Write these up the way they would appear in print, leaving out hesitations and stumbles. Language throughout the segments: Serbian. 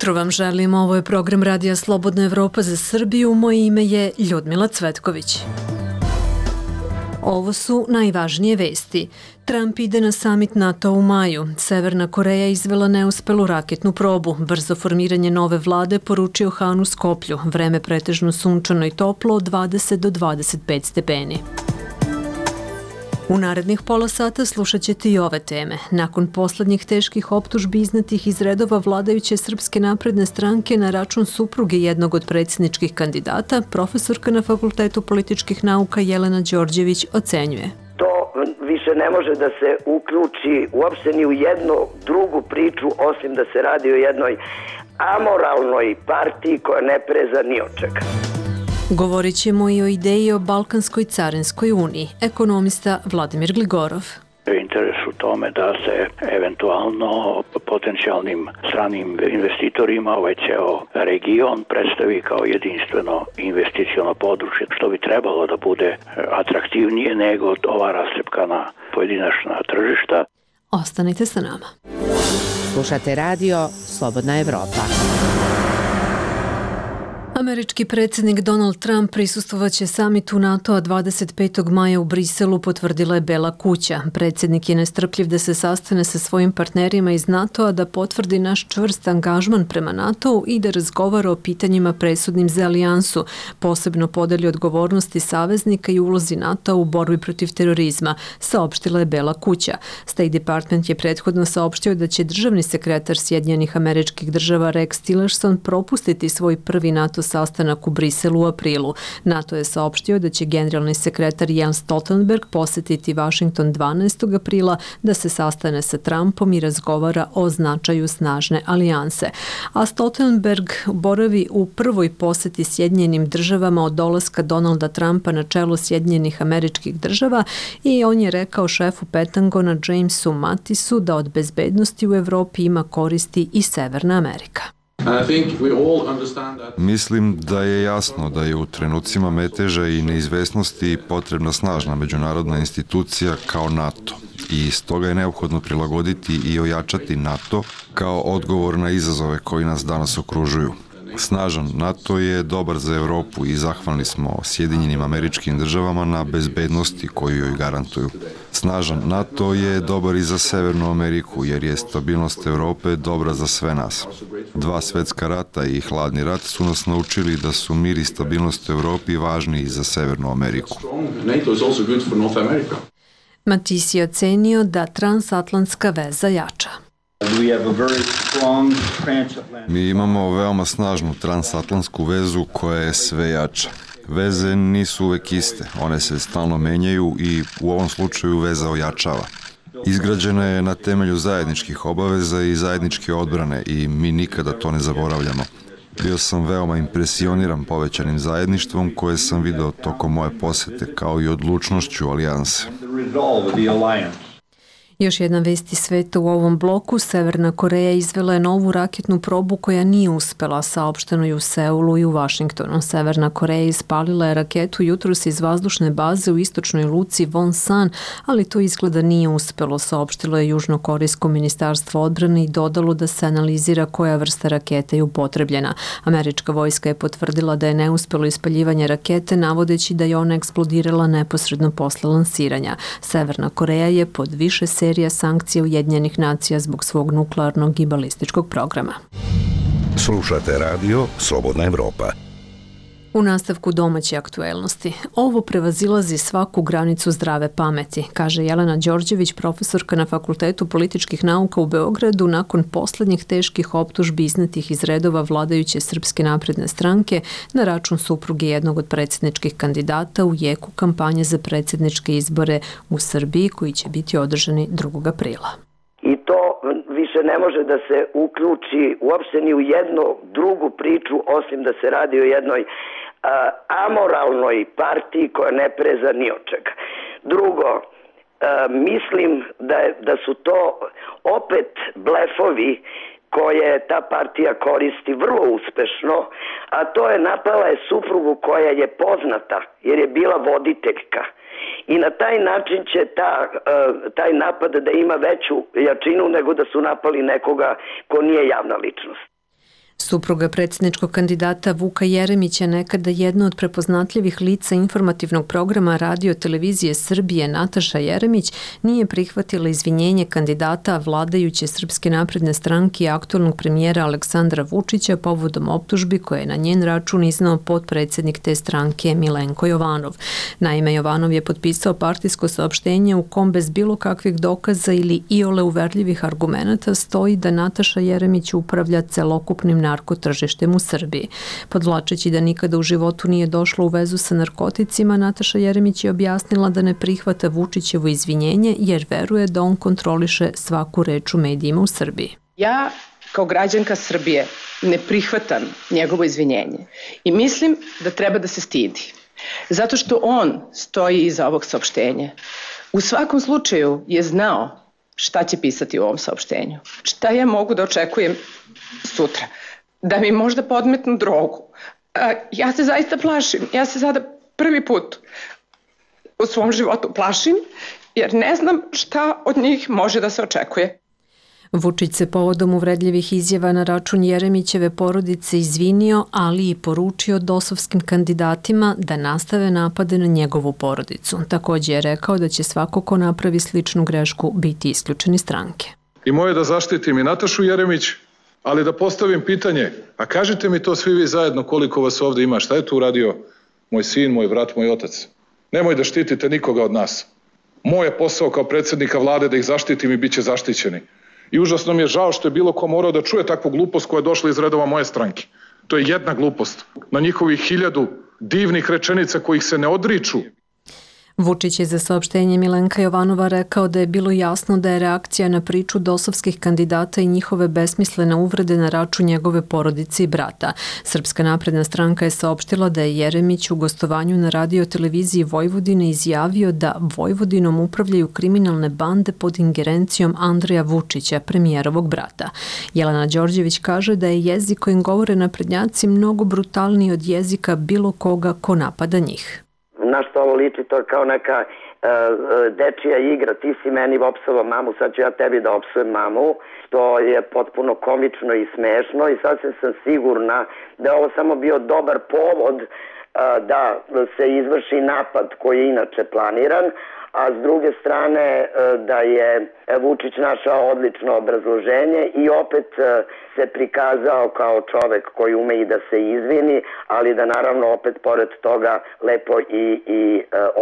jutro vam želim, ovo je program Radija Slobodna Evropa za Srbiju, moje ime je Ljudmila Cvetković. Ovo su najvažnije vesti. Trump ide na samit NATO u maju. Severna Koreja izvela neuspelu raketnu probu. Brzo formiranje nove vlade poručio Han u Skoplju. Vreme pretežno sunčano i toplo od 20 do 25 stepeni. U narednih pola sata slušat ćete i ove teme. Nakon poslednjih teških optužbi iznetih iz redova vladajuće Srpske napredne stranke na račun supruge jednog od predsjedničkih kandidata, profesorka na Fakultetu političkih nauka Jelena Đorđević ocenjuje. To više ne može da se uključi uopšte ni u jednu drugu priču, osim da se radi o jednoj amoralnoj partiji koja ne preza ni od čega. Govorit ćemo i o ideji o Balkanskoj carinskoj uniji. Ekonomista Vladimir Gligorov. Interes u tome da se eventualno potencijalnim stranim investitorima ovaj ceo region predstavi kao jedinstveno investiciono područje, što bi trebalo da bude atraktivnije nego ova rascepkana pojedinačna tržišta. Ostanite sa nama. Slušate radio Slobodna Evropa. Američki predsjednik Donald Trump prisustvovaće samitu NATO-a 25. maja u Briselu, potvrdila je Bela kuća. Predsjednik je nestrpljiv da se sastane sa svojim partnerima iz NATO-a, da potvrdi naš čvrst angažman prema NATO-u i da razgovara o pitanjima presudnim za alijansu, posebno podeli odgovornosti saveznika i ulozi NATO-a u borbi protiv terorizma, saopštila je Bela kuća. State Department je prethodno saopštio da će državni sekretar Sjedinjenih Američkih Država Rex Tillerson propustiti svoj prvi NATO sastanak u Briselu u aprilu. NATO je saopštio da će generalni sekretar Jens Stoltenberg posetiti Washington 12. aprila da se sastane sa Trumpom i razgovara o značaju snažne alijanse. A Stoltenberg boravi u prvoj poseti Sjedinjenim državama od dolaska Donalda Trumpa na čelo Sjedinjenih Američkih Država i on je rekao šefu Pentagona Jamesu Mattisu da od bezbednosti u Evropi ima koristi i Severna Amerika. Mislim da je jasno da je u trenucima meteža i neizvesnosti potrebna snažna međunarodna institucija kao NATO i stoga je neophodno prilagoditi i ojačati NATO kao odgovor na izazove koji nas danas okružuju. Snažan NATO je dobar za Evropu i zahvalni smo Sjedinjenim Američkim Državama na bezbednosti koju joj garantuju. Snažan NATO je dobar i za Severnu Ameriku jer je stabilnost Evrope dobra za sve nas. 2 svetska rata i hladni rat su nas naučili da su mir i stabilnost u Evropi važni i za Severnu Ameriku. Mattis je ocenio da transatlantska veza jača. Mi imamo veoma snažnu transatlantsku vezu koja je sve jača. Veze nisu uvek iste, one se stalno menjaju i u ovom slučaju veza ojačava. Izgrađena je na temelju zajedničkih obaveza i zajedničke odbrane i mi nikada to ne zaboravljamo. Bio sam veoma impresioniran povećanim zajedništvom koje sam video tokom moje posete, kao i odlučnošću alijanse. Još jedna vest iz sveta u ovom bloku. Severna Koreja izvela je novu raketnu probu koja nije uspela, saopšteno je u Seulu i u Vašingtonu. Severna Koreja ispalila je raketu jutros iz vazdušne baze u istočnoj luci Wonsan, ali to izgleda nije uspelo, saopštilo je Južnokorejsko ministarstvo odbrane i dodalo da se analizira koja vrsta rakete je upotrebljena. Američka vojska je potvrdila da je neuspelo ispaljivanje rakete, navodeći da je ona eksplodirala neposredno posle lansiranja. Severna Koreja je pod više serija sankcija Ujedinjenih nacija zbog svog nuklearnog i balističkog programa. Slušate radio Slobodna Evropa. U nastavku domaće aktuelnosti. Ovo prevazilazi svaku granicu zdrave pameti, kaže Jelena Đorđević, profesorka na Fakultetu političkih nauka u Beogradu, nakon poslednjih teških optužbi iznetih iz redova vladajuće Srpske napredne stranke na račun supruge jednog od predsjedničkih kandidata u jeku kampanje za predsjedničke izbore u Srbiji koji će biti održani 2. aprila. I to više ne može da se uključi uopšte ni u jednu drugu priču, osim da se radi o jednoj amoralnoj partiji koja ne preza ni od čega. Drugo, mislim da su to opet blefovi koje ta partija koristi vrlo uspešno, a to je napala je suprugu koja je poznata jer je bila voditeljka. I na taj način će taj napad da ima veću jačinu nego da su napali nekoga ko nije javna ličnost. Supruga predsjedničkog kandidata Vuka Jeremića, nekada jedna od prepoznatljivih lica informativnog programa Radio televizije Srbije, Nataša Jeremić, nije prihvatila izvinjenje kandidata vladajuće Srpske napredne stranke i aktualnog premijera Aleksandra Vučića povodom optužbi koje je na njen račun iznao potpredsjednik te stranke Milenko Jovanov. Naime, Jovanov je potpisao partijsko saopštenje u kom bez bilo kakvih dokaza ili iole uverljivih argumenata stoji da Nataša Jeremić upravlja celokupnim narkotržištem u Srbiji. Podvlačeći da nikada u životu nije došla u vezu sa narkoticima, Nataša Jeremić je objasnila da ne prihvata Vučićevo izvinjenje jer veruje da on kontroliše svaku reč u medijima u Srbiji. Ja kao građanka Srbije ne prihvatam njegovo izvinjenje i mislim da treba da se stidi. Zato što on stoji iza ovog saopštenja. U svakom slučaju je znao šta će pisati u ovom saopštenju. Šta ja mogu da očekujem sutra? Da mi možda podmetnu drogu. Ja se zaista plašim. Ja se sada prvi put u svom životu plašim jer ne znam šta od njih može da se očekuje. Vučić se povodom uvredljivih izjava na račun Jeremićeve porodice izvinio, ali i poručio dosovskim kandidatima da nastave napade na njegovu porodicu. Također je rekao da će svako ko napravi sličnu grešku biti isključen iz stranke. I moje da zaštitim i Natašu Jeremić, ali da postavim pitanje, a kažite mi to svi vi zajedno koliko vas ovdje ima, šta je tu uradio moj sin, moj brat, moj otac? Nemoj da štitite nikoga od nas. Moj je posao kao predsjednika vlade da ih zaštitim i bit će zaštićeni. I užasno mi je žao što je bilo ko morao da čuje takvu glupost koja je došla iz redova moje stranke. To je jedna glupost. Na njihovih 1000 divnih rečenica kojih se ne odriču. Vučić je za saopštenje Milenka Jovanova rekao da je bilo jasno da je reakcija na priču dosovskih kandidata i njihove besmislene uvrede na račun njegove porodice i brata. Srpska napredna stranka je saopštila da je Jeremić u gostovanju na Radio televiziji Vojvodine izjavio da Vojvodinom upravljaju kriminalne bande pod ingerencijom Andreja Vučića, premijerovog brata. Jelena Đorđević kaže da je jezik kojim govore naprednjaci mnogo brutalniji od jezika bilo koga ko napada njih. Na što ovo liči, to je kao neka dečija igra, ti si meni opsovao mamu, sad ću ja tebi da opsujem mamu, što je potpuno komično i smešno i sasvim sam sigurna da je ovo samo bio dobar povod da se izvrši napad koji je inače planiran, a s druge strane da je Vučić našao odlično obrazloženje i opet se prikazao kao čovek koji ume i da se izvini, ali da naravno opet pored toga lepo i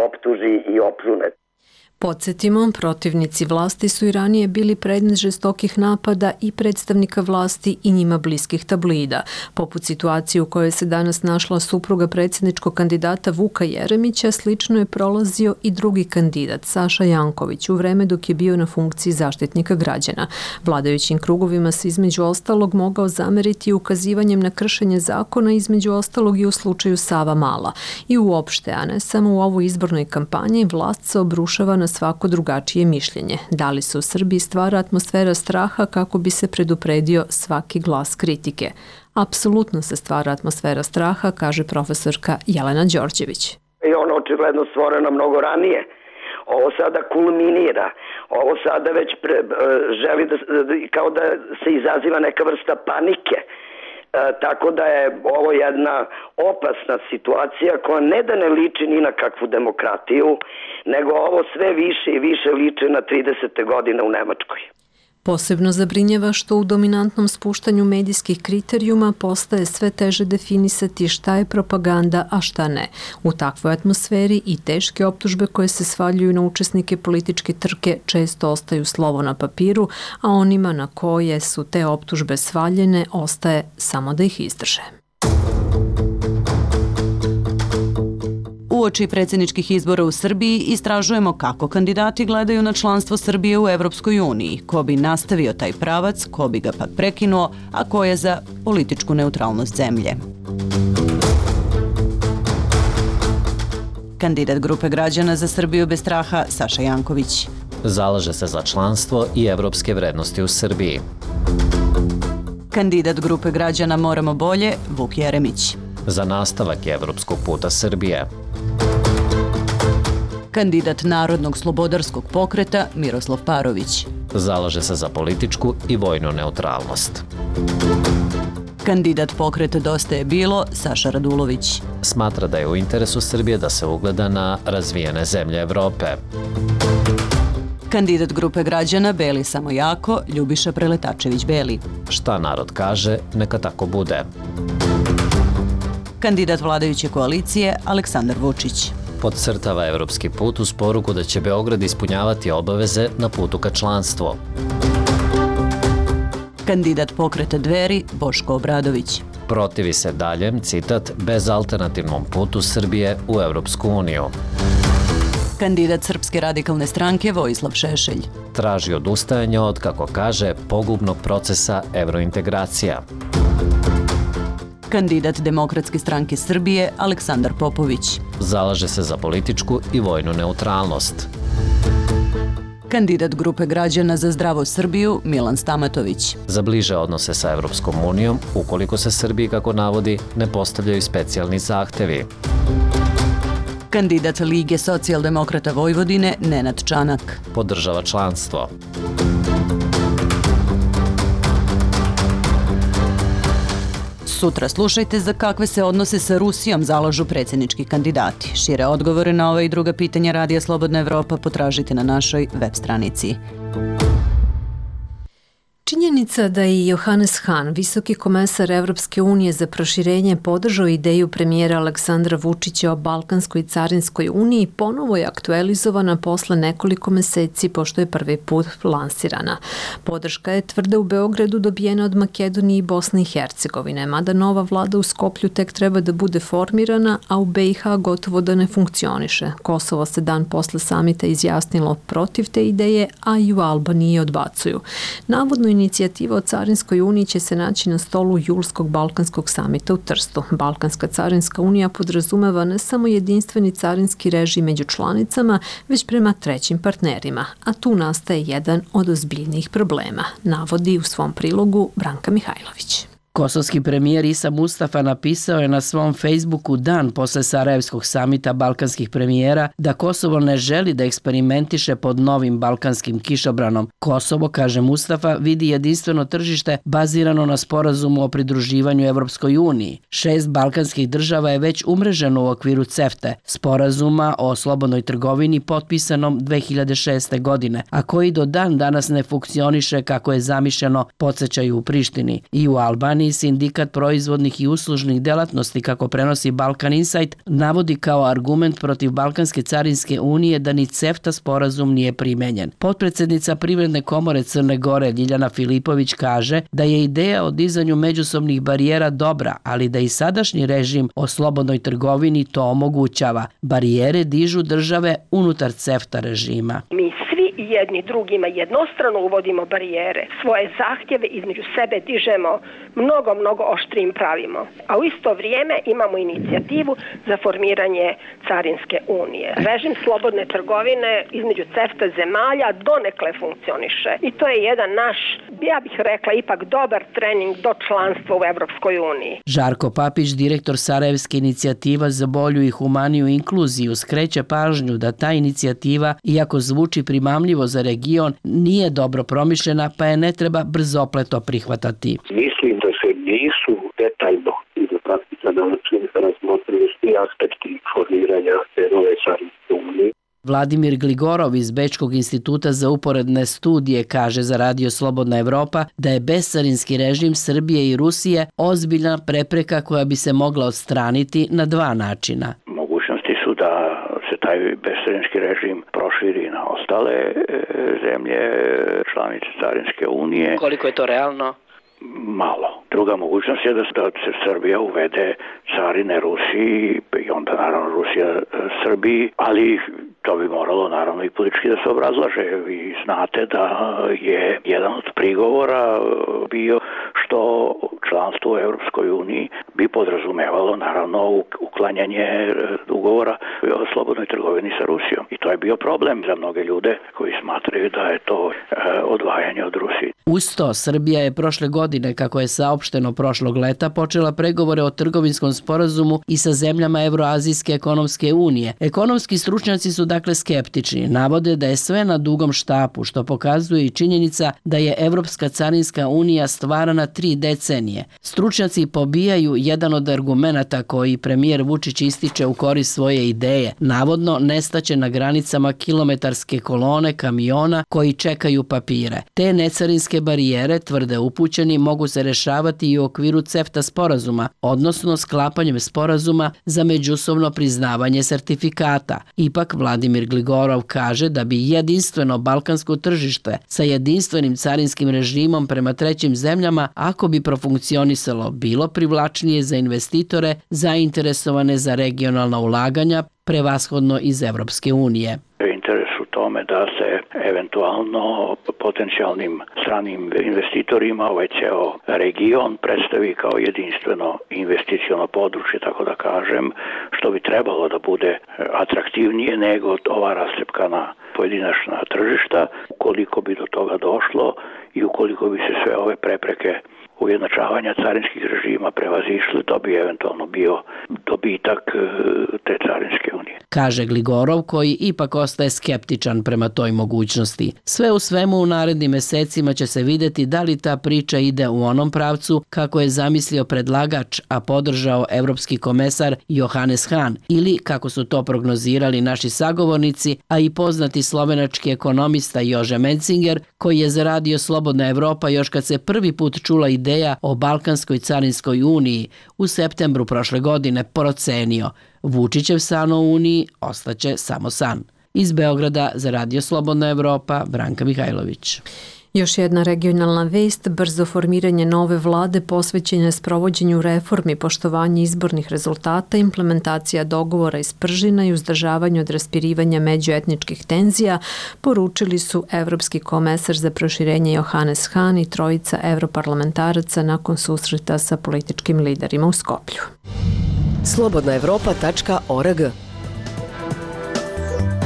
optuži i opljune. Podsjetimo, protivnici vlasti su i ranije bili predmet žestokih napada i predstavnika vlasti i njima bliskih tabloida. Poput situacije u kojoj se danas našla supruga predsjedničkog kandidata Vuka Jeremića, slično je prolazio i drugi kandidat, Saša Janković, u vreme dok je bio na funkciji zaštitnika građana. Vladajućim krugovima se između ostalog mogao zameriti ukazivanjem na kršenje zakona, između ostalog i u slučaju Savamala. I uopšte, a ne samo u ovoj izbornoj kampanji, vlast se obrušava na svako drugačije mišljenje. Da li se u Srbiji stvara atmosfera straha kako bi se predupredio svaki glas kritike? Apsolutno se stvara atmosfera straha, kaže profesorka Jelena Đorđević. I ono očigledno stvoreno mnogo ranije. Ovo sada kulminira. Ovo sada već želi kao da se izaziva neka vrsta panike. Tako da je ovo jedna opasna situacija koja ne da ne liči ni na kakvu demokratiju, nego ovo sve više i više liči na 30. godine u Nemačkoj. Posebno zabrinjava što u dominantnom spuštanju medijskih kriterijuma postaje sve teže definisati šta je propaganda, a šta ne. U takvoj atmosferi i teške optužbe koje se svaljuju na učesnike političke trke često ostaju slovo na papiru, a onima na koje su te optužbe svaljene ostaje samo da ih izdrže. Uoči predsjedničkih izbora u Srbiji istražujemo kako kandidati gledaju na članstvo Srbije u Evropskoj uniji, ko bi nastavio taj pravac, ko bi ga pak prekinuo, a ko je za političku neutralnost zemlje. Kandidat grupe građana za Srbiju bez straha Saša Janković. Zalaže se za članstvo i evropske vrednosti u Srbiji. Kandidat grupe građana Moramo bolje Vuk Jeremić. Za nastavak evropskog puta Srbije. Kandidat Narodnog slobodarskog pokreta Miroslav Parović. Zalaže se za političku i vojnu neutralnost. Kandidat pokreta Dosta je bilo, Saša Radulović. Smatra da je u interesu Srbije da se ugleda na razvijene zemlje Evrope. Kandidat grupe građana Beli samo jako, Ljubiša Preletačević-Beli. Šta narod kaže, neka tako bude. Kandidat vladajuće koalicije Aleksandar Vučić. Podcrtava evropski put uz poruku da će Beograd ispunjavati obaveze na putu ka članstvu. Kandidat pokreta Dveri Boško Obradović. Protivi se daljem, citat, bezalternativnom putu Srbije u Evropsku uniju. Kandidat Srpske radikalne stranke Vojislav Šešelj. Traži odustajanje od, kako kaže, pogubnog procesa evrointegracija. Kandidat Demokratske stranke Srbije Aleksandar Popović. Zalaže se za političku i vojnu neutralnost. Kandidat grupe građana za zdravu Srbiju Milan Stamatović. Za bliže odnose sa Evropskom unijom, ukoliko se Srbiji, kako navodi, ne postavljaju specijalni zahtevi. Kandidat Lige socijaldemokrata Vojvodine Nenad Čanak. Podržava članstvo. Sutra slušajte za kakve se odnose sa Rusijom zalažu predsjednički kandidati. Šire odgovore na ova i druga pitanja Radija Slobodna Evropa potražite na našoj web stranici. Činjenica da je Johannes Hahn, visoki komesar Evropske unije za proširenje, podržao ideju premijera Aleksandra Vučića o Balkanskoj carinskoj uniji, ponovo je aktualizovana posle nekoliko meseci pošto je prvi put lansirana. Podrška je tvrda u Beogradu dobijena od Makedonije i Bosne i Hercegovine, mada nova vlada u Skoplju tek treba da bude formirana, a u BiH gotovo da ne funkcioniše. Kosovo se dan posle samita izjasnilo protiv te ideje, a i u Albaniji odbacuju. Navodno inicijativa o Carinskoj uniji će se naći na stolu julskog Balkanskog samita u Trstu. Balkanska carinska unija podrazumeva ne samo jedinstveni carinski režim među članicama, već prema trećim partnerima, a tu nastaje jedan od ozbiljnijih problema, navodi u svom prilogu Branka Mihajlović. Kosovski premijer Isa Mustafa napisao je na svom Facebooku dan posle Sarajevskog samita balkanskih premijera da Kosovo ne želi da eksperimentiše pod novim balkanskim kišobranom. Kosovo, kaže Mustafa, vidi jedinstveno tržište bazirano na sporazumu o pridruživanju Evropskoj uniji. 6 balkanskih država je već umreženo u okviru CEFTA, sporazuma o slobodnoj trgovini potpisanom 2006. godine, a koji do dan danas ne funkcioniše kako je zamišljeno, podsećaju u Prištini. I u Albaniji Sindikat proizvodnih i uslužnih delatnosti, kako prenosi Balkan Insight, navodi kao argument protiv Balkanske carinske unije da ni CEFTA sporazum nije primenjen. Potpredsednica Privredne komore Crne Gore Ljiljana Filipović kaže da je ideja o dizanju međusobnih barijera dobra, ali da i sadašnji režim o slobodnoj trgovini to omogućava. Barijere dižu države unutar CEFTA režima. Mi svi jedni drugima jednostrano uvodimo barijere, svoje zahtjeve između sebe dižemo mnogo oštrijim pravimo. A u isto vrijeme imamo inicijativu za formiranje Carinske unije. Režim slobodne trgovine između CEFTA zemalja donekle funkcioniše. I to je jedan naš, ja bih rekla, ipak dobar trening do članstva u Evropskoj uniji. Žarko Papić, direktor Sarajevske inicijativa za bolju i humaniju inkluziju, skreće pažnju da ta inicijativa, iako zvuči primamljivo za region, nije dobro promišljena, pa je ne treba brzopleto prihvatati. Mislim da se nisu detaljno i do praktika način razmotrili svi aspekti formiranja te nove carinske unije. Vladimir Gligorov iz Bečkog instituta za uporedne studije kaže za Radio Slobodna Evropa da je bescarinski režim Srbije i Rusije ozbiljna prepreka koja bi se mogla odstraniti na dva načina. Mogućnosti su da se taj bescarinski režim proširi na ostale zemlje, članice Carinske unije. Koliko je to realno? Malo. Druga mogućnost je da se Srbija uvede carine Rusiji i onda naravno Rusija Srbiji, ali to bi moralo naravno i politički da se obrazlaže. Vi znate da je jedan od prigovora bio što članstvo u Evropskoj uniji bi podrazumevalo naravno uklanjanje ugovora o slobodnoj trgovini sa Rusijom. I to je bio problem za mnoge ljude koji smatraju da je to odvajanje od Rusije. Uz to, Srbija je prošle godine, kako je saopšteno prošlog leta, počela pregovore o trgovinskom sporazumu i sa zemljama Evroazijske ekonomske unije. Ekonomski stručnjaci su dakle skeptični, navode da je sve na dugom štapu, što pokazuje i činjenica da je Evropska carinska unija stvarana 3 decenije. Stručnjaci pobijaju jedan od argumenata koji premijer Vučić ističe u korist svoje ideje. Navodno nestaće na granicama kilometarske kolone kamiona koji čekaju papire. Te necarinske barijere, tvrde upućeni, mogu se rešavati i u okviru CEFTA sporazuma, odnosno sklapanjem sporazuma za međusobno priznavanje sertifikata. Ipak Vladimir Gligorov kaže da bi jedinstveno balkansko tržište sa jedinstvenim carinskim režimom prema trećim zemljama, ako bi profunkcionisalo, bilo privlačnije za investitore zainteresovane za regionalna ulaganja, prevashodno iz Evropske unije. Interes u tome da se eventualno potencijalnim stranim investitorima ovaj ceo region predstavi kao jedinstveno investiciono područje, tako da kažem, što bi trebalo da bude atraktivnije nego ova rascepkana pojedinačna tržišta. Ukoliko bi do toga došlo i ukoliko bi se sve ove prepreke ujednačavanja carinskih režima prevazišli, to bi eventualno bio dobitak te carinske unije. Kaže Gligorov, koji ipak ostaje skeptičan prema toj mogućnosti. Sve u svemu u narednim mesecima će se videti da li ta priča ide u onom pravcu kako je zamislio predlagač, a podržao evropski komesar Johannes Hahn, ili kako su to prognozirali naši sagovornici, a i poznati slovenački ekonomista Jože Mencinger, koji je za Radio Slobodna Evropa još kad se prvi put čula ideja o Balkanskoj carinskoj uniji u septembru prošle godine procenio: Vučićev san o uniji ostaće samo san. Iz Beograda za Radio Slobodna Evropa, Branka Mihajlović. Još jedna regionalna vest, brzo formiranje nove vlade posvećene sprovođenju reformi, poštovanje izbornih rezultata, implementacija dogovora iz Pržina i uzdržavanje od raspirivanja međuetničkih tenzija, poručili su evropski komesar za proširenje Johannes Hahn i trojica evroparlamentaraca nakon susreta sa političkim liderima u Skoplju. Slobodnaevropa.org.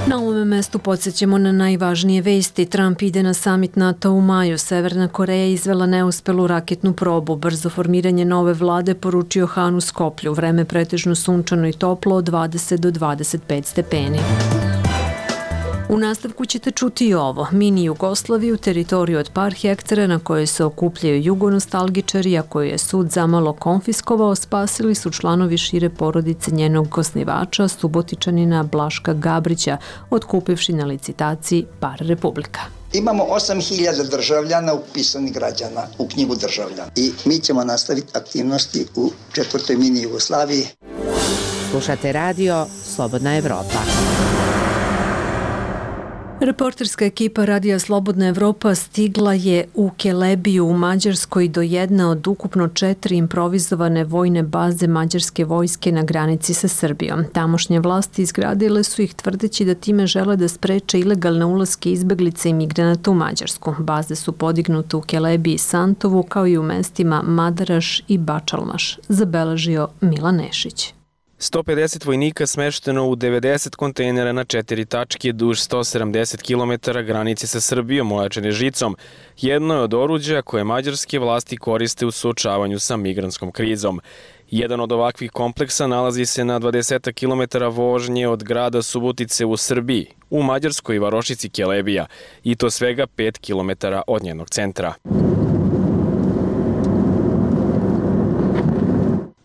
Na ovome mestu podsjećamo na najvažnije vesti. Trump ide na samit NATO u maju. Severna Koreja izvela neuspelu raketnu probu. Brzo formiranje nove vlade poručio Han u Skoplju. Vreme pretežno sunčano i toplo od 20 do 25 stepeni. U nastavku ćete čuti i ovo. Mini Jugoslaviju, teritoriju od par hektara na kojoj se okupljaju jugonostalgičari, a koju je sud zamalo konfiskovao, spasili su članovi šire porodice njenog osnivača, Subotičanina Blaška Gabrića, otkupivši na licitaciji par republika. Imamo 8.000 državljana upisanih građana u knjigu državljana i mi ćemo nastaviti aktivnosti u 4. mini Jugoslaviji. Slušate radio Slobodna Evropa. Reporterska ekipa Radija Slobodna Evropa stigla je u Kelebiju u Mađarskoj do jedne od ukupno 4 improvizovane vojne baze mađarske vojske na granici sa Srbijom. Tamošnje vlasti izgradile su ih tvrdeći da time žele da spreče ilegalne ulaske izbeglice i migranata u Mađarsku. Baze su podignute u Kelebiji i Santovu kao i u mestima Madaraš i Bačalmaš, zabeležio Milan Nešić. 150 vojnika smešteno u 90 kontejnera na 4 tačke duž 170 km granice sa Srbijom ojačane žicom. Jedno je od oruđa koje mađarske vlasti koriste u suočavanju sa migrantskom krizom. Jedan od ovakvih kompleksa nalazi se na 20 km vožnje od grada Subotice u Srbiji, u mađarskoj varošici Kelebija, i to svega 5 km od njenog centra.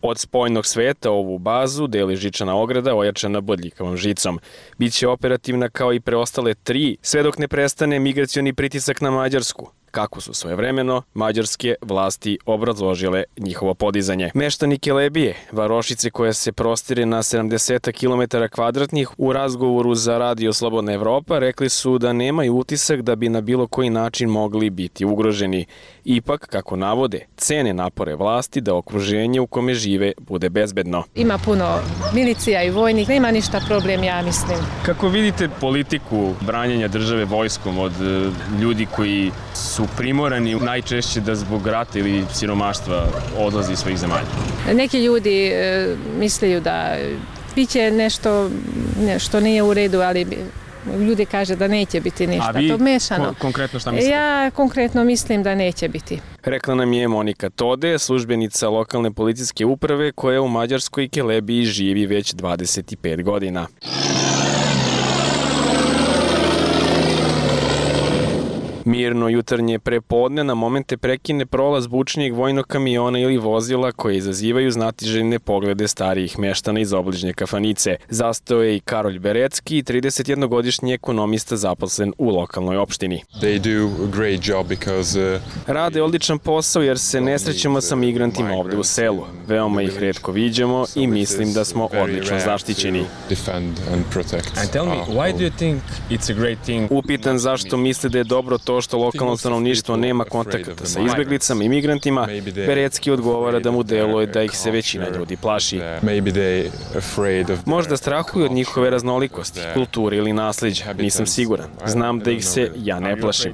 Od spoljnog sveta ovu bazu deli žičana ograda ojačana bodljikavom žicom. Biće operativna kao i preostale 3, sve dok ne prestane migracioni pritisak na Mađarsku, kako su svojevremeno mađarske vlasti obrazložile njihovo podizanje. Meštani Kelebije, varošice koja se prostire na 70 km kvadratnih, u razgovoru za Radio Slobodna Evropa rekli su da nemaju utisak da bi na bilo koji način mogli biti ugroženi. Ipak, kako navode, cene napore vlasti da okruženje u kome žive bude bezbedno. Ima puno milicija i vojnih, nema ništa problem, ja mislim. Kako vidite politiku branjenja države vojskom od ljudi koji su primorani najčešće da zbog rata ili siromaštva odlazi iz svojih zemalja? Neki ljudi misleju da biće nešto što nije u redu, ali ljudi kaže da neće biti ništa. A vi to mešano. Konkretno šta mislite? Ja konkretno mislim da neće biti. Rekla nam je Monika Tode, službenica lokalne policijske uprave koja u mađarskoj Kelebiji živi već 25 godina. Mirno jutarnje prepodne na momente prekine prolaz bučnijeg vojnog kamiona ili vozila koje izazivaju znatiželjne poglede starijih meštana iz obližnje kafanice. Zastao je i Karolj Berecki, 31-godišnji ekonomista zaposlen u lokalnoj opštini. Rade odličan posao jer se ne srećemo sa migrantima ovde u selu. Veoma ih retko viđamo i mislim da smo odlično zaštićeni. Upitan zašto misle da je dobro to što lokalno stanovništvo nema kontakata sa izbeglicama i migrantima, Berecki odgovara da mu deluje da ih se većina ljudi plaši. Možda strahuju od njihove raznolikosti, kulture ili nasleđa, nisam siguran. Znam da ih se ja ne plašim.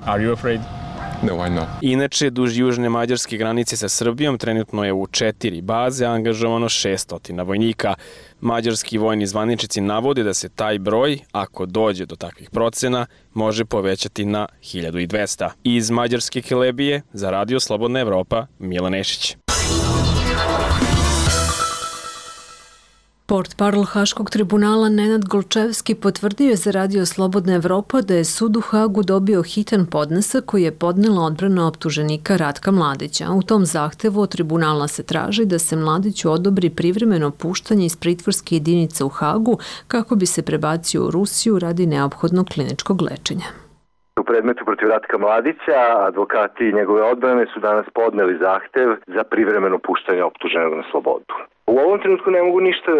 Inače, duž južne mađarske granice sa Srbijom trenutno je u 4 baze angažovano 600 vojnika. Mađarski vojni zvaničnici navode da se taj broj, ako dođe do takvih procena, može povećati na 1200. Iz Mađarske Kelebije, za Radio Slobodna Evropa, Milan Nešić. Portparol Haškog tribunala Nenad Golčevski potvrdio je za Radio Slobodna Evropa da je sud u Hagu dobio hitan podnesak koji je podnela odbrana optuženika Ratka Mladića. U tom zahtevu od tribunala se traži da se Mladiću odobri privremeno puštanje iz pritvorske jedinice u Hagu kako bi se prebacio u Rusiju radi neophodnog kliničkog lečenja. U predmetu protiv Ratka Mladića, advokati njegove odbrane su danas podneli zahtev za privremeno puštanje optuženog na slobodu. U ovom trenutku ne mogu ništa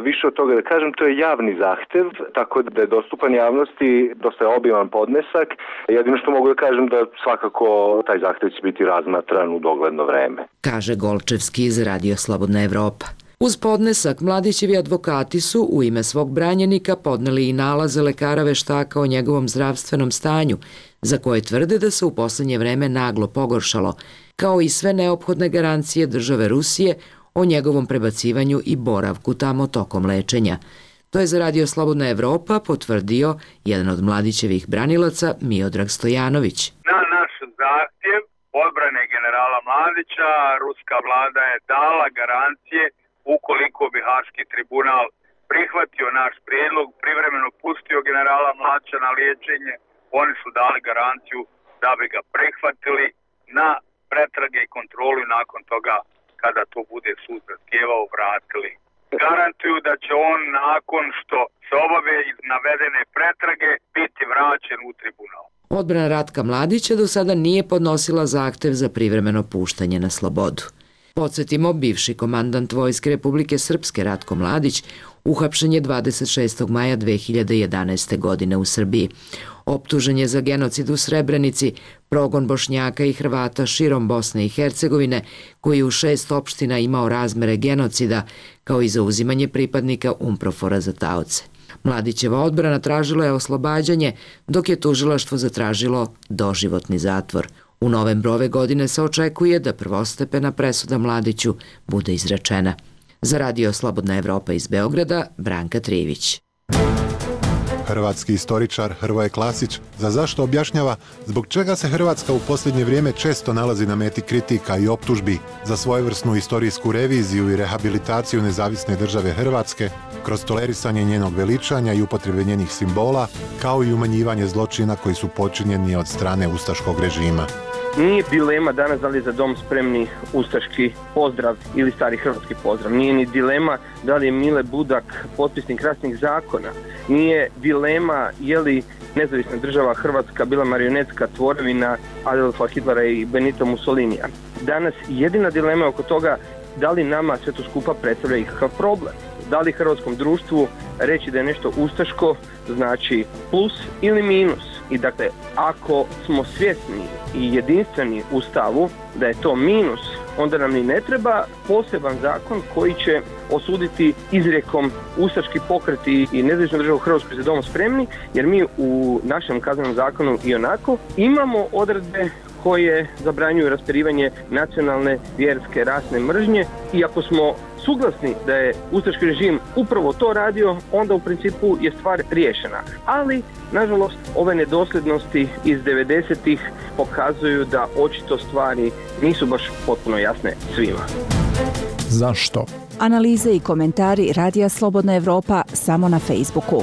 više od toga da kažem, to je javni zahtev, tako da je dostupan javnosti, dosta je obiman podnesak. Jedino što mogu da kažem da svakako taj zahtev će biti razmatran u dogledno vreme. Kaže Golčevski iz Radio Slobodna Evropa. Uz podnesak, Mladićevi advokati su u ime svog branjenika podneli i nalaze lekara veštaka o njegovom zdravstvenom stanju, za koje tvrde da se u poslednje vreme naglo pogoršalo, kao i sve neophodne garancije države Rusije o njegovom prebacivanju i boravku tamo tokom lečenja. To je za Radio Slobodna Evropa potvrdio jedan od Mladićevih branilaca Miodrag Stojanović. Na naš zahtjev odbrane generala Mladića, ruska vlada je dala garancije ukoliko bi Haški tribunal prihvatio naš prijedlog, privremeno pustio generala Mladića na liječenje, oni su dali garanciju da bi ga prihvatili na pretrage i kontrolu i nakon toga kada to bude sud zahtijevao vratili. Garantuju da će on nakon što se obave navedene pretrage biti vraćen u tribunal. Odbrana Ratka Mladića do sada nije podnosila zahtev za privremeno puštanje na slobodu. Podsjetimo, bivši komandant Vojske Republike Srpske Ratko Mladić uhapšen je 26. maja 2011. godine u Srbiji. Optužen je za genocid u Srebrenici, progon Bošnjaka i Hrvata širom Bosne i Hercegovine, koji u 6 opština imao razmere genocida, kao i za uzimanje pripadnika UNPROFOR-a za taoce. Mladićeva odbrana tražila je oslobađanje, dok je tužilaštvo zatražilo doživotni zatvor. U novembru ove godine se očekuje da prvostepena presuda Mladiću bude izrečena. Za Radio Slobodna Evropa iz Beograda, Branka Trivić. Hrvatski istoričar Hrvoje Klasić za zašto objašnjava zbog čega se Hrvatska u posljednje vrijeme često nalazi na meti kritika i optužbi za svojevrsnu istorijsku reviziju i rehabilitaciju nezavisne države Hrvatske kroz tolerisanje njenog veličanja i upotrebe njenih simbola, kao i umanjivanje zločina koji su počinjeni od strane ustaškog režima. Nije dilema danas da li je Za dom spremni ustaški pozdrav ili stari hrvatski pozdrav. Nije ni dilema da li je Mile Budak potpisnik ratnih zakona. Nije dilema je li nezavisna država Hrvatska bila marionetska tvorevina Adolfa Hitlera i Benito Mussolinija. Danas jedina dilema je oko toga da li nama sve to skupa predstavlja ikakav problem. Da li hrvatskom društvu reći da je nešto ustaško znači plus ili minus. I dakle, ako smo svjesni i jedinstveni u stavu da je to minus, onda nam ni ne treba poseban zakon koji će osuditi izrijekom ustaški pokret i nezavisnu državu Hrvatsku Za dom spremni, jer mi u našem kaznenom zakonu i onako imamo odredbe koje zabranjuju raspirivanje nacionalne, vjerske, rasne mržnje i ako smo suglasni da je ustaški režim upravo to radio, onda u principu je stvar riješena. Ali, nažalost, ove nedosljednosti iz 90-ih pokazuju da očito stvari nisu baš potpuno jasne svima. Zašto? Analize i komentari Radija Slobodna Evropa samo na Facebooku.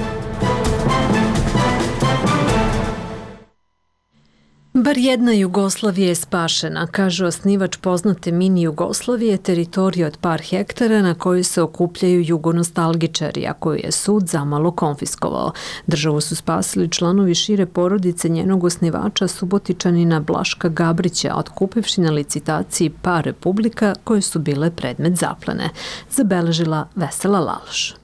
Bar jedna Jugoslavija je spašena, kaže osnivač poznate mini Jugoslavije, teritorije od par hektara na kojoj se okupljaju jugonostalgičari, a koju je sud zamalo konfiskovao. Državu su spasili članovi šire porodice njenog osnivača Subotičanina Blaška Gabrića, otkupivši na licitaciji par republika koje su bile predmet zaplene. Zabeležila Vesela Laloš.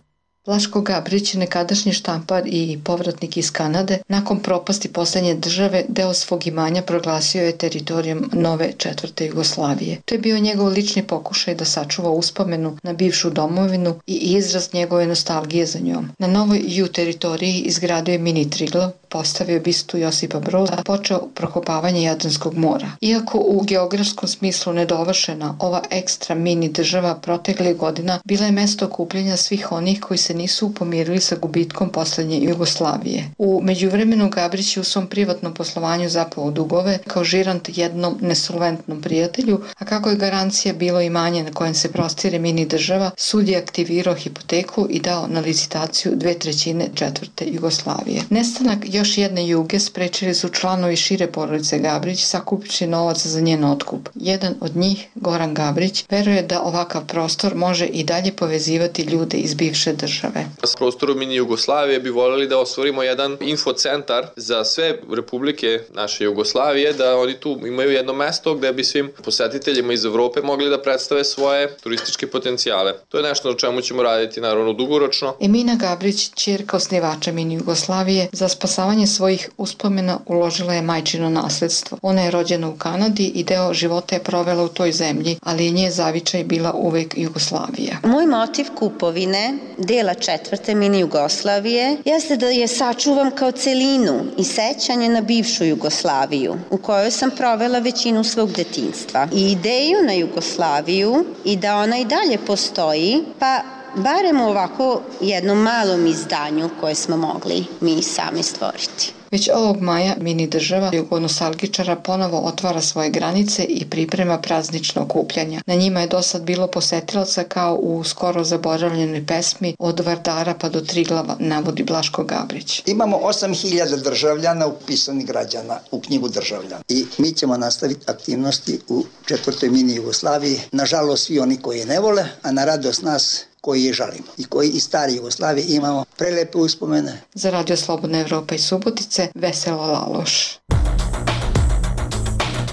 Blaško Gabrić, nekadašnji štampar i povratnik iz Kanade, nakon propasti posljednje države, deo svog imanja proglasio je teritorijom nove četvrte Jugoslavije. To je bio njegov lični pokušaj da sačuva uspomenu na bivšu domovinu i izraz njegove nostalgije za njom. Na novoj ju teritoriji izgradio je mini Triglav, postavio bistu Josipa Broza, počeo prokopavanje Jadranskog mora. Iako u geografskom smislu nedovršena, ova ekstra mini država proteklih godina bila je mesto okupljanja svih onih koji se nisu pomirili sa gubitkom poslednje Jugoslavije. U međuvremenu Gabrić je u svom privatnom poslovanju zapao dugove kao žirant jednom nesolventnom prijatelju, a kako je garancija bilo imanje na kojem se prostire mini država, sud je aktivirao hipoteku i dao na licitaciju 2/3 četvrte Jugoslavije. Nestanak još jedne Juge sprečili su članovi šire porodice Gabrić sakupivši novac za njen otkup. Jedan od njih, Goran Gabrić, veruje da ovakav prostor može i dalje povezivati ljude iz bivše države. S prostorom mini Jugoslavije bi voljeli da ostvarimo jedan infocentar za sve republike naše Jugoslavije, da oni tu imaju jedno mesto gde bi svim posetiteljima iz Evrope mogli da predstave svoje turističke potencijale. To je nešto na čemu ćemo raditi naravno dugoročno. Emina Gabrić, ćerka osnivača mini Jugoslavije, za spasavanje svojih uspomena uložila je majčino nasledstvo. Ona je rođena u Kanadi i deo života je provela u toj zemlji, ali je nje zavičaj bila uvek Jugoslavija. Moj motiv kupovine dela četvrte mini Jugoslavije jeste da je sačuvam kao celinu i sećanje na bivšu Jugoslaviju u kojoj sam provela većinu svog detinjstva. I ideju na Jugoslaviju i da ona i dalje postoji, pa barem u ovako jednom malom izdanju koje smo mogli mi sami stvoriti. Već ovog maja mini država jugonostalgičara ponovo otvara svoje granice i priprema praznično okupljanja. Na njima je dosad bilo posetilaca kao u skoro zaboravljenoj pesmi Od Vardara pa do Triglava, navodi Blaško Gabrić. Imamo 8000 državljana upisanih građana u knjigu državljana i mi ćemo nastaviti aktivnosti u četvrtoj mini Jugoslaviji. Nažalost, svi oni koji je ne vole, a na radost nas koji je žalimo i koji iz stare Jugoslavije imamo prelepe uspomene. Za Radio Slobodna Evropa i Subotice, Vesela Laloš.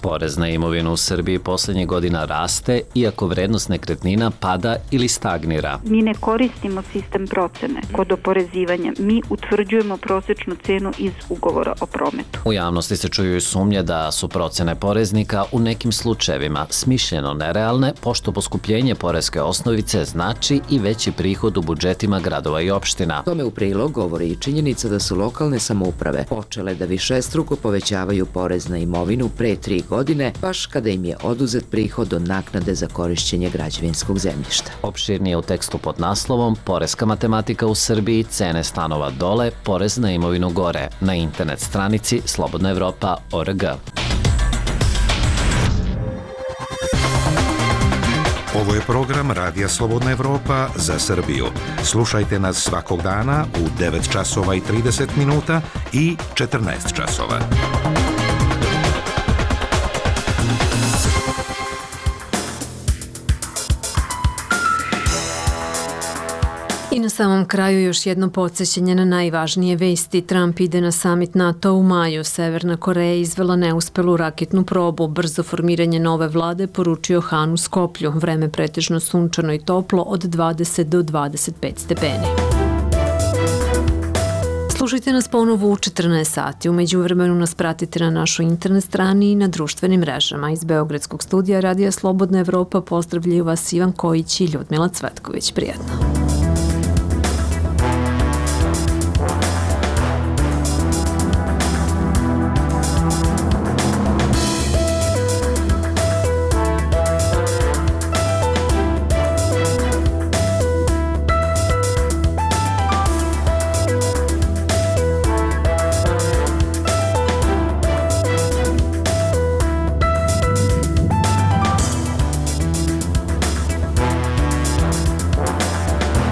Porez na imovinu u Srbiji poslednjih godina raste, iako vrednost nekretnina pada ili stagnira. Mi ne koristimo sistem procene kod oporezivanja. Mi utvrđujemo prosečnu cenu iz ugovora o prometu. U javnosti se čuju i sumnje da su procene poreznika u nekim slučajevima smišljeno nerealne, pošto poskupljenje poreske osnovice znači i veći prihod u budžetima gradova i opština. Tome u prilog govori i činjenica da su lokalne samouprave počele da višestruko povećavaju porez na imovinu pre 3 godine, baš kada im je oduzet prihod od naknade za korišćenje građevinskog zemljišta. Opširnije u tekstu pod naslovom Poreska matematika u Srbiji, cene stanova dole, porez na imovinu gore, na internet stranici slobodnaevropa.org. Ovo je program Radija Slobodna Evropa za Srbiju. Slušajte nas svakog dana u 9 časova i 30 minuta i 14 časova. I na samom kraju još jedno podsjećanje na najvažnije vesti. Trump ide na samit NATO u maju. Severna Koreja izvela neuspelu raketnu probu. Brzo formiranje nove vlade poručio Han u Skoplju. Vreme pretežno sunčano i toplo od 20 do 25 stepeni. Slušajte nas ponovo u 14 sati. U međuvremenu nas pratite na našoj internet strani i na društvenim mrežama. Iz Beogradskog studija Radija Slobodna Evropa pozdravljaju vas Ivan Kojić i Ljudmila Cvetković. Prijetno.